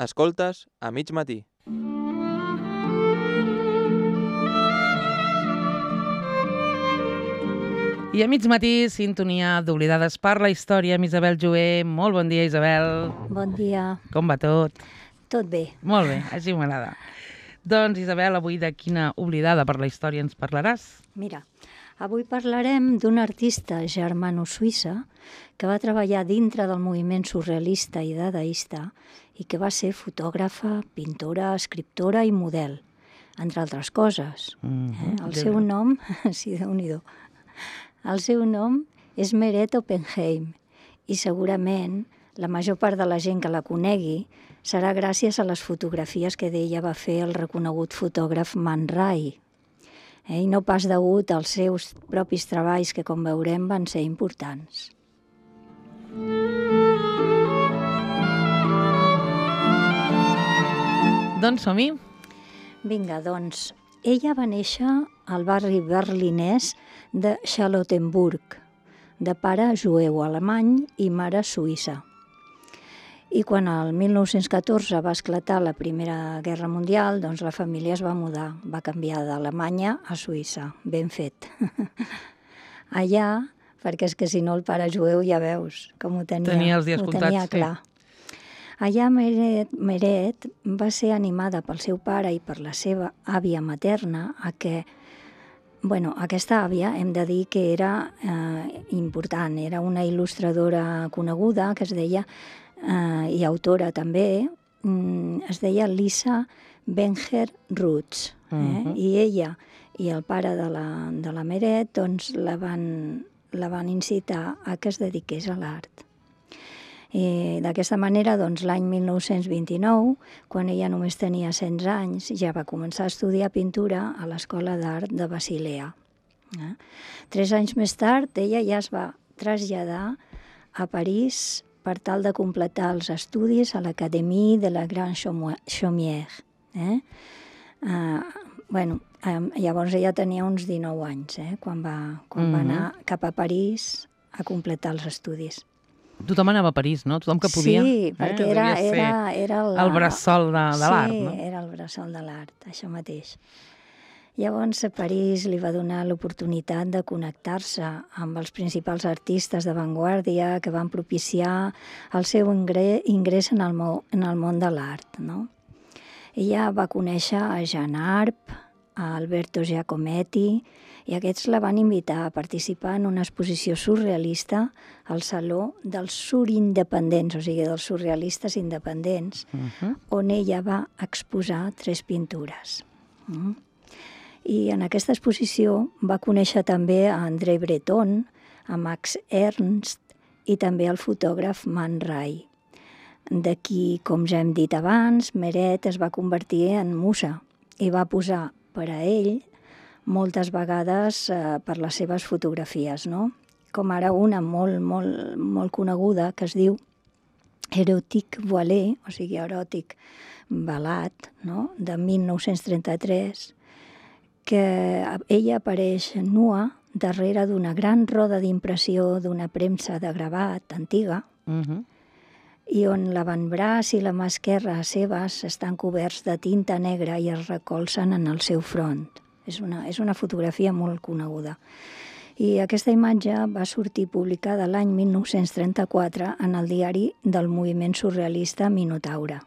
Escoltes a mig matí. I a mig matí, sintonia d'Oblidades per la història amb Isabel Jover. Molt bon dia, Isabel. Bon dia. Com va tot? Tot bé. Molt bé, així m'agrada. Doncs, Isabel, avui de quina oblidada per la història ens parlaràs? Mira, avui parlarem d'una artista germano-suïssa que va treballar dintre del moviment surrealista i dadaista i que va ser fotògrafa, pintora, escriptora i model, entre altres coses. El seu nom, sí, Déu-n'hi-do, el seu nom és Meret Oppenheim i segurament la major part de la gent que la conegui serà gràcies a les fotografies que d'ella va fer el reconegut fotògraf Man Ray. I no pas degut als seus propis treballs que, com veurem, van ser importants. Doncs som-hi. Vinga, doncs, ella va néixer al barri berlinès de Charlottenburg, de pare jueu alemany i mare suïssa. I quan el 1914 va esclatar la Primera Guerra Mundial, doncs la família es va mudar, va canviar d'Alemanya a Suïssa, ben fet. Allà, perquè és que si no el pare jueu ja veus com ho tenia. Tenia els dies comptats, tenia clar. Allà Meret va ser animada pel seu pare i per la seva àvia materna a que, aquesta àvia hem de dir que era important, era una il·lustradora coneguda que es deia, i autora també, es deia Lisa Wenger-Rutz. I ella i el pare de la Meret doncs, la van incitar a que es dediqués a l'art. D'aquesta manera, doncs, l'any 1929, quan ella només tenia 16 anys, ja va començar a estudiar pintura a l'Escola d'Art de Basilea. 3 anys més tard, ella ja es va traslladar a París per tal de completar els estudis a l'Académie de la Grande Chaumière. Llavors ella tenia uns 19 anys, quan va anar cap a París a completar els estudis. Tothom anava a París, no? Tothom que podia. Sí, perquè era el bressol de l'art, no? Sí, era el bressol de l'art, això mateix. Llavors, a París li va donar l'oportunitat de connectar-se amb els principals artistes d'avantguàrdia que van propiciar el seu ingrés en el món de l'art, no? Ella va conèixer a Jean Arp, a Alberto Giacometti, i aquests la van invitar a participar en una exposició surrealista al Saló dels Surindependents, o sigui, dels surrealistes independents, on ella va exposar 3 pintures. I en aquesta exposició va conèixer també a André Breton, a Max Ernst i també al fotògraf Man Ray. D'aquí, com ja hem dit abans, Meret es va convertir en musa i va posar per a ell moltes vegades per les seves fotografies, no? Com ara una molt coneguda que es diu Erotique Voilée, o sigui, eròtic velat, no? De 1933, que ella apareix nua darrere d'una gran roda d'impressió d'una premsa de gravat antiga, i on l'avantbraç i la mà esquerra seves estan coberts de tinta negra i es recolzen en el seu front. És una fotografia molt coneguda. I aquesta imatge va sortir publicada l'any 1934 en el diari del moviment surrealista Minotaure.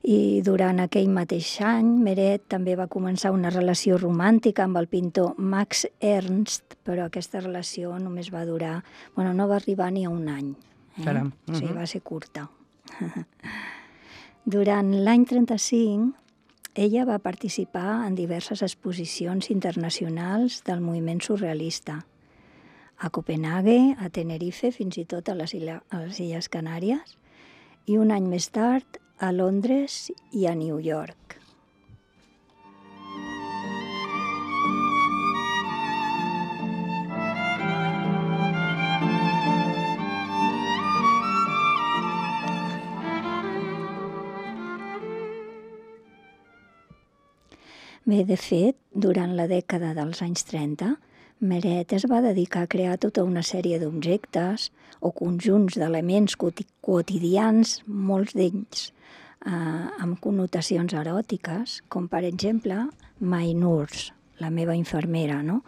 I durant aquell mateix any, Meret també va començar una relació romàntica amb el pintor Max Ernst, però aquesta relació només va durar, no va arribar ni a un any. Caram. O sigui, va ser curta. Durant l'any 35, ella va participar en diverses exposicions internacionals del moviment surrealista. A Copenhague, a Tenerife, fins i tot a les Illes Canàries, i un any més tard a Londres i a New York. Bé, de fet, durant la dècada dels anys 30, Meret es va dedicar a crear tota una sèrie d'objectes o conjunts d'elements quotidians, molts d'ells amb connotacions eròtiques, com per exemple My Nurse, la meva infermera, no?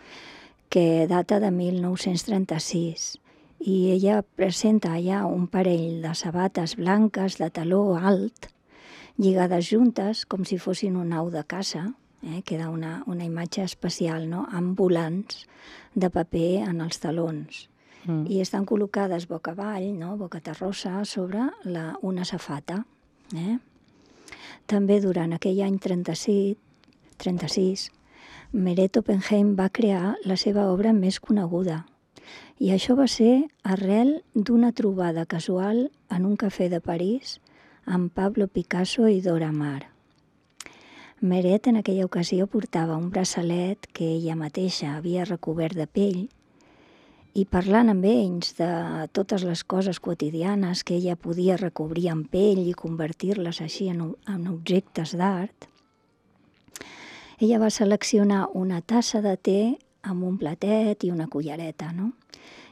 Que data de 1936. I ella presenta allà un parell de sabates blanques de taló alt, lligades juntes com si fossin un au de caça, queda una imatge especial, no? Amb volants de paper en els talons. I estan col·locades boca avall, no? Boca terrossa, sobre una safata. També durant aquell any 36, Meret Oppenheim va crear la seva obra més coneguda. I això va ser arrel d'una trobada casual en un cafè de París amb Pablo Picasso i Dora Maar. Meret en aquella ocasió portava un braçalet que ella mateixa havia recobert de pell i parlant amb ells de totes les coses quotidianes que ella podia recobrir en pell i convertir-les així en objectes d'art, ella va seleccionar una tassa de te amb un platet i una cullereta, no?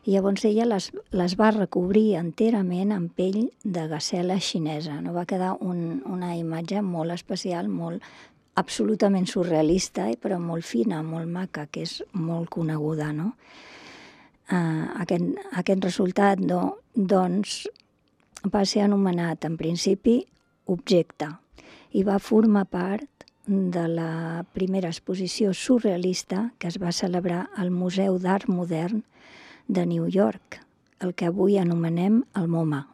I llavors ella les va recobrir enterament amb pell de gasela xinesa. No? Va quedar una imatge molt especial, absolutament surrealista, però molt fina, molt maca, que és molt coneguda, no? Aquest resultat, doncs, va ser anomenat, en principi, objecte, i va formar part de la primera exposició surrealista que es va celebrar al Museu d'Art Modern de New York, el que avui anomenem el MoMA.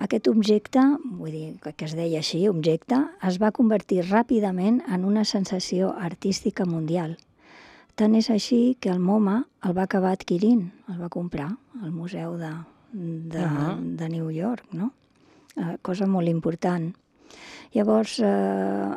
Aquest objecte, vull dir que es deia així, objecte, es va convertir ràpidament en una sensació artística mundial. Tant és així que el MoMA el va acabar adquirint, el va comprar al Museu de New York, no? Cosa molt important. Llavors,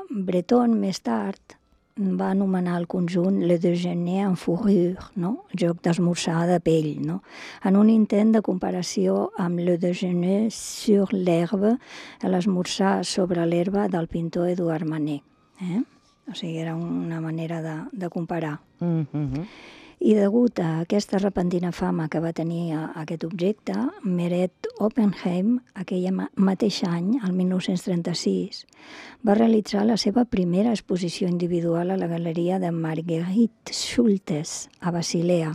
Breton, més tard, va anomenar el conjunt Le Déjeuner en fourrure, no? Joc d'esmorzar de pell, no? En un intent de comparació amb Le Déjeuner sur l'herbe, l'esmorzar sobre l'herba del pintor Edouard Manet. O sigui, era una manera de comparar. I degut a aquesta repentina fama que va tenir aquest objecte, Meret Oppenheim, aquell mateix any, el 1936, va realitzar la seva primera exposició individual a la galeria de Marguerite Schultes, a Basilea.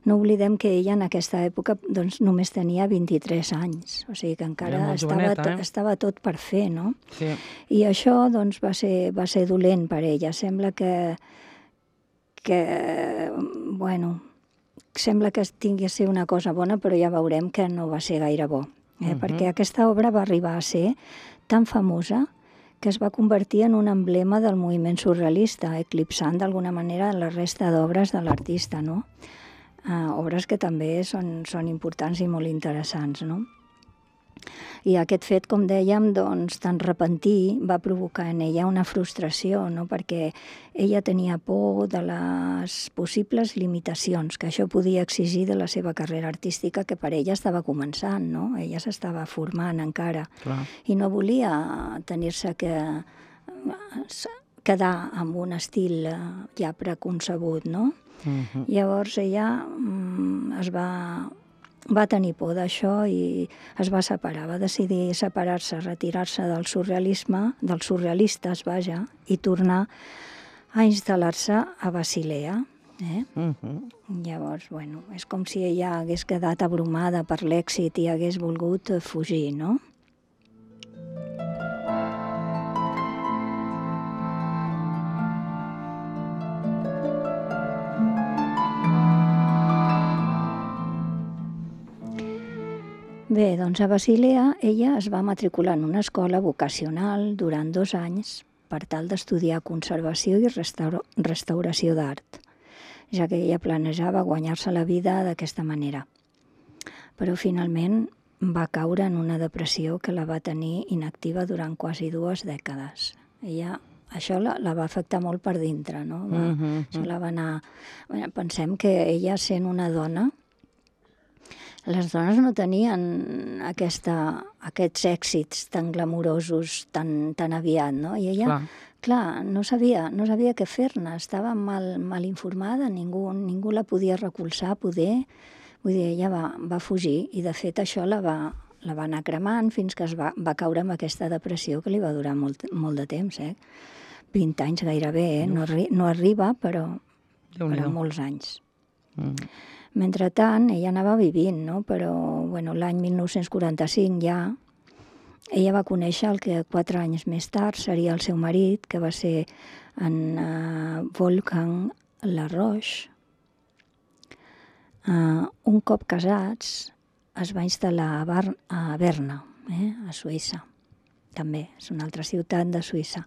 No oblidem que ella en aquesta època doncs, només tenia 23 anys, o sigui que encara estava tot per fer, no? Sí. I això doncs, va ser dolent per ella. Sembla que sembla que tingui a ser una cosa bona, però ja veurem que no va ser gaire bo. Perquè aquesta obra va arribar a ser tan famosa que es va convertir en un emblema del moviment surrealista, eclipsant d'alguna manera la resta d'obres de l'artista, no? Obres que també són importants i molt interessants, no? I aquest fet, com dèiem, doncs, tan repentí va provocar en ella una frustració, no? Perquè ella tenia por de les possibles limitacions que això podia exigir de la seva carrera artística, que per ella estava començant, no? Ella s'estava formant encara. Clar. I no volia tenir-se que quedar amb un estil ja preconcebut, no? Llavors ella va tenir por d'això i es va separar, va decidir separar-se, retirar-se del surrealisme, dels surrealistes, vaja, i tornar a instal·lar-se a Basilea. Llavors, bueno, és com si ella hagués quedat abrumada per l'èxit i hagués volgut fugir, no? Bé, doncs a Basilea ella es va matricular en una escola vocacional durant 2 anys per tal d'estudiar conservació i restauració d'art, ja que ella planejava guanyar-se la vida d'aquesta manera. Però finalment va caure en una depressió que la va tenir inactiva durant quasi 2 dècades. Això la va afectar molt per dintre, no? Això la va anar... Pensem que ella, sent una dona, les dones no tenien aquests èxits tan glamurosos tan aviat, no? I ella, Clar, no sabia què fer-ne, estava mal informada, ningú la podia recolzar, poder. Vull dir, ella va fugir i, de fet, això la va anar cremant fins que va caure amb aquesta depressió que li va durar molt de temps, 20 anys gairebé, no arriba, però molts anys. Mentrestant, ella anava vivint, no? Però l'any 1945 ja ella va conèixer el que 4 anys més tard seria el seu marit, que va ser en Wolfgang Laroche. Un cop casats, es va instal·lar a Berna, a Suïssa. També és una altra ciutat de Suïssa.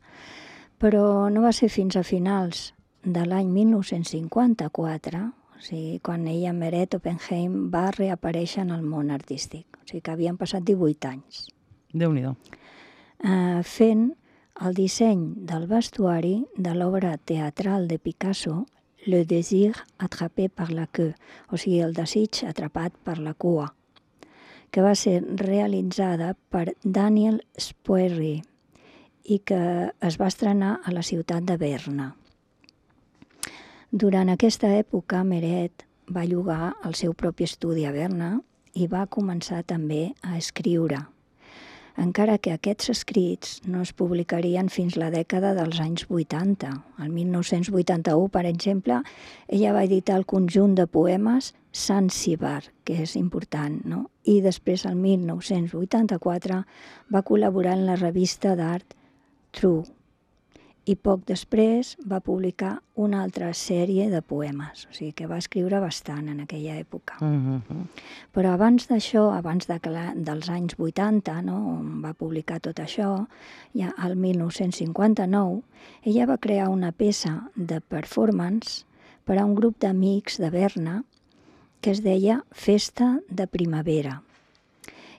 Però no va ser fins a finals de l'any 1954, o sigui, quan ella, Meret Oppenheim, va reaparèixer en el món artístic. O sigui que havien passat 18 anys. Déu-n'hi-do. Fent el disseny del vestuari de l'obra teatral de Picasso, Le désir attrapé par la queue, o sigui, el desig atrapat per la cua, que va ser realitzada per Daniel Spoerri i que es va estrenar a la ciutat de Berna. Durant aquesta època, Meret va llogar el seu propi estudi a Berna i va començar també a escriure, encara que aquests escrits no es publicarien fins la dècada dels anys 80. El 1981, per exemple, ella va editar el conjunt de poemes Zanzibar, que és important, no? I després, el 1984, va col·laborar en la revista d'art True. I poc després va publicar una altra sèrie de poemes, o sigui que va escriure bastant en aquella època. Però abans d'això, dels anys 80, no, on va publicar tot això, ja al 1959, ella va crear una peça de performance per a un grup d'amics de Berna que es deia Festa de Primavera.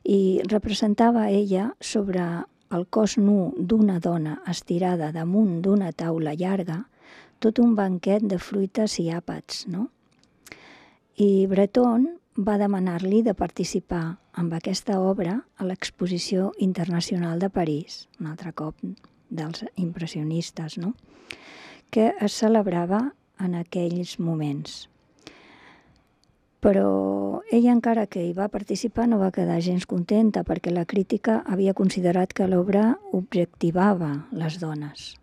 I representava ella sobre el cos nu d'una dona estirada damunt d'una taula llarga, tot un banquet de fruites i àpats, no? I Breton va demanar-li de participar amb aquesta obra a l'Exposició Internacional de París, un altre cop dels impressionistes, no? Que es celebrava en aquells moments. Però ella, encara que hi va participar, no va quedar gens contenta perquè la crítica havia considerat que l'obra objectivava les dones.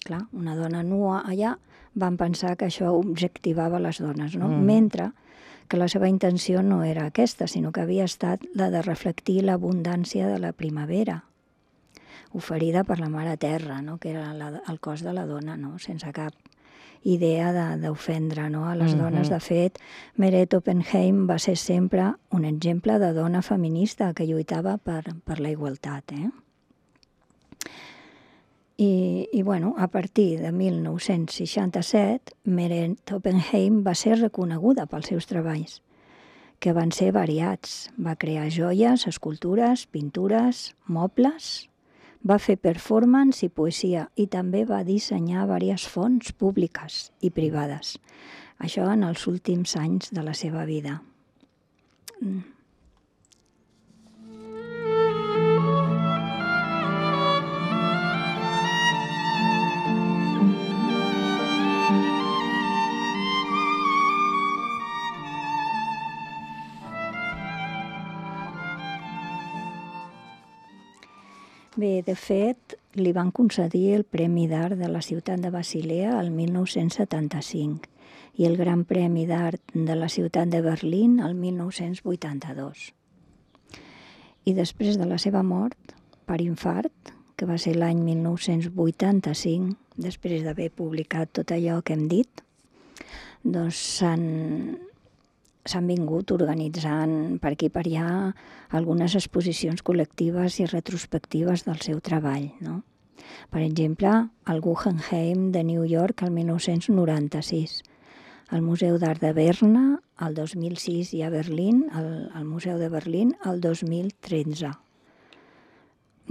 Clar, una dona nua allà van pensar que això objectivava les dones, no? Mentre que la seva intenció no era aquesta, sinó que havia estat la de reflectir l'abundància de la primavera, oferida per la Mare Terra, no? Que era el cos de la dona, no? Sense cap idea d'ofendre, no? A les dones. De fet, Meret Oppenheim va ser sempre un exemple de dona feminista que lluitava per la igualtat. I a partir de 1967, Meret Oppenheim va ser reconeguda pels seus treballs, que van ser variats. Va crear joies, escultures, pintures, mobles. Va fer performance i poesia i també va dissenyar diverses fonts públiques i privades. Això en els últims anys de la seva vida. Bé, de fet, li van concedir el Premi d'Art de la ciutat de Basilea el 1975 i el Gran Premi d'Art de la ciutat de Berlín el 1982. I després de la seva mort, per infart, que va ser l'any 1985, després d'haver publicat tot allò que hem dit, doncs s'han vingut organitzant per aquí i per allà algunes exposicions col·lectives i retrospectives del seu treball, no? Per exemple, al Guggenheim de New York el 1996, al Museu d'Art de Berna el 2006 i a Berlín, al Museu de Berlín, el 2013.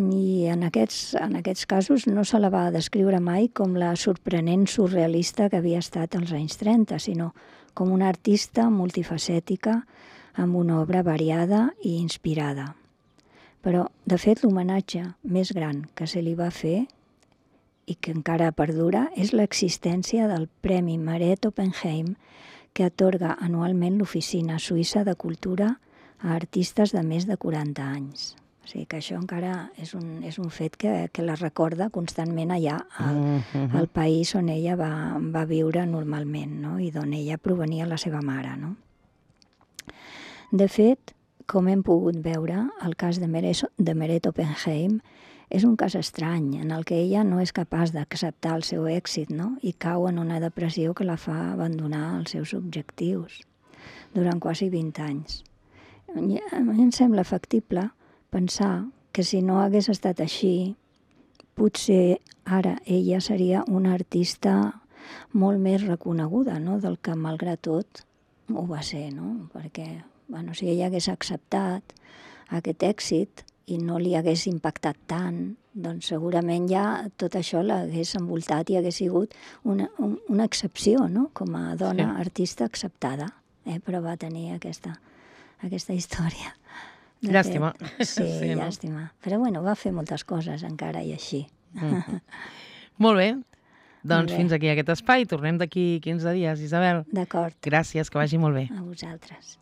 I en aquests casos no se la va descriure mai com la sorprenent surrealista que havia estat als anys 30, sinó com una artista multifacètica amb una obra variada i inspirada. Però, de fet, l'homenatge més gran que se li va fer i que encara perdura és l'existència del Premi Meret Oppenheim que atorga anualment l'Oficina Suïssa de Cultura a artistes de més de 40 anys. O sigui que això encara és un fet que la recorda constantment allà al país on ella va viure normalment, no? I d'on ella provenia la seva mare. No? De fet, com hem pogut veure, el cas de Meret Oppenheim és un cas estrany en el que ella no és capaç d'acceptar el seu èxit, no? I cau en una depressió que la fa abandonar els seus objectius durant quasi 20 anys. A mi em sembla factible pensar que si no hagués estat així, potser ara ella seria una artista molt més reconeguda, no? Del que malgrat tot ho va ser, no? Perquè si ella hagués acceptat aquest èxit i no li hagués impactat tant, doncs segurament ja tot això l'hagués envoltat i hagués sigut una excepció, no? Com a dona artista acceptada, però va tenir aquesta història. Llàstima. Sí, llàstima. Però bueno, va fer moltes coses encara i així. Molt bé. Doncs fins aquí aquest espai. Tornem d'aquí 15 dies, Isabel. D'acord. Gràcies, que vagi molt bé. A vosaltres.